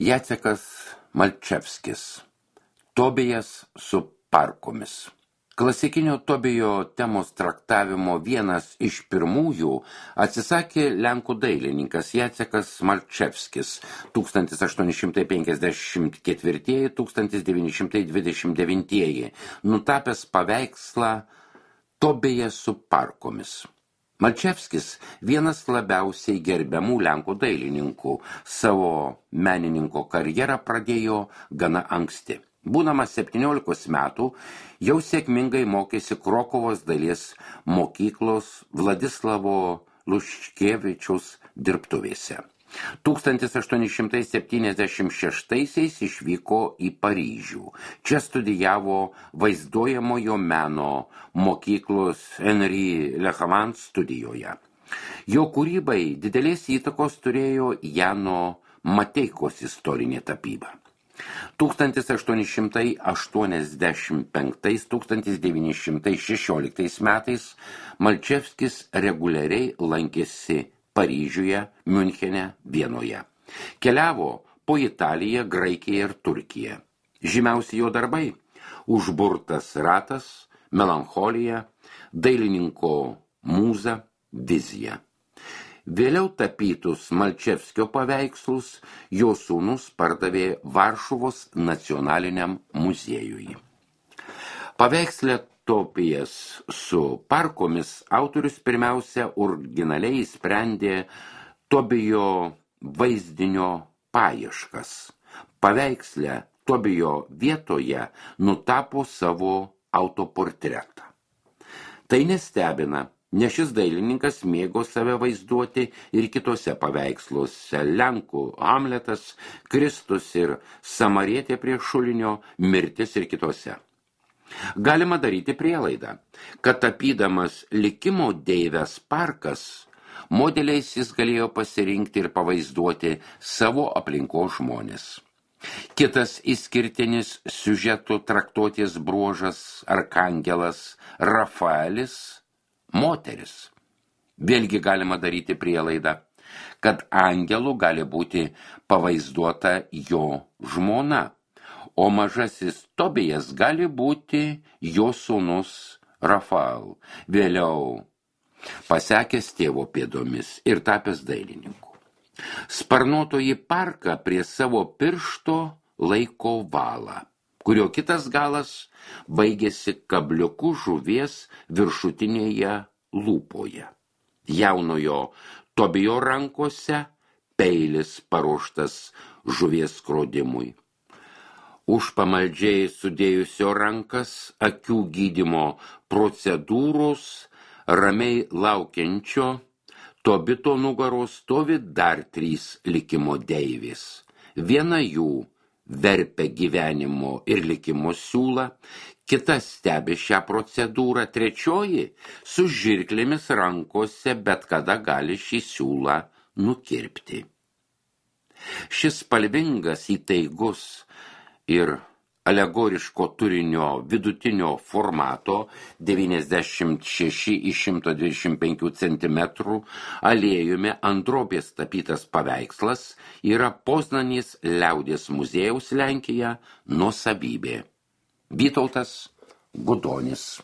Jacekas Malčevskis. Tobijas su parkomis. Klasikinio Tobijo temos traktavimo vienas iš pirmųjų atsisakė lenkų dailininkas Jacekas Malčevskis 1854-1929, nutapęs paveikslą Tobijas su parkomis. Malčevskis vienas labiausiai gerbiamų lenkų dailininkų, savo menininko karjerą pradėjo gana anksti. Būdamas 17 metų, jau sėkmingai mokėsi Krokuvos dailės mokyklos Vladislavo Luškevičiaus dirbtuvėse. 1876 išvyko į Paryžių. Čia studijavo vaizduojamojo meno mokyklos Henri Lehavant studijoje. Jo kūrybai didelės įtakos turėjo Jano Mateikos istorinė tapyba. 1885-1916 metais Malčevskis reguliariai lankėsi Paryžiuje, Miunchene, Vienoje. Keliavo po Italiją, Graikiją ir Turkiją. Žymiausi jo darbai – Užburtas ratas, Melancholija, Dailininko mūza, Vizija. Vėliau tapytus Malčevskio paveikslus jo sūnus pardavė Varšuvos nacionaliniam muziejui. Paveiksle Tobijas su parkomis autorius pirmiausia originaliai sprendė Tobijo vaizdinio paieškas. Paveiksle Tobijo vietoje nutapo savo autoportretą. Tai nestebina, nes šis dailininkas mėgo save vaizduoti ir kitose paveiksluose – Lenkų Hamletas, Kristus ir Samarietė prie šulinio, Mirtis ir kitose. Galima daryti prielaidą, kad tapydamas likimo deivės parkas, modeliais jis galėjo pasirinkti ir pavaizduoti savo aplinkos žmonės. Kitas išskirtinis siužetų traktuotės bruožas – arkangelas Rafaelis – moteris. Vėlgi galima daryti prielaidą, kad angelu gali būti pavaizduota jo žmona, o mažasis Tobijas gali būti jo sūnus Rafael, vėliau pasekęs tėvo pėdomis ir tapęs dailininku. Sparnuotoji parką prie savo piršto laiko valą, kurio kitas galas baigėsi kabliuku žuvies viršutinėje lūpoje. Jaunojo Tobijo rankose peilis paruoštas žuvies skrodimui. Už pamaldžiai sudėjusio rankas akių gydymo procedūros ramiai laukiančio Tobito nugaros stovi dar 3 likimo deivės. Viena jų verpia gyvenimo ir likimo siūlą, kita stebi šią procedūrą, trečioji su žirklėmis rankose bet kada gali šį siūlą nukirpti. Šis spalvingas, įtaigus ir alegoriško turinio vidutinio formato 96x125 cm aliejumi ant drobės tapytas paveikslas yra Poznanės liaudies muziejaus Lenkija nuosavybė. Vytautas Gudonis.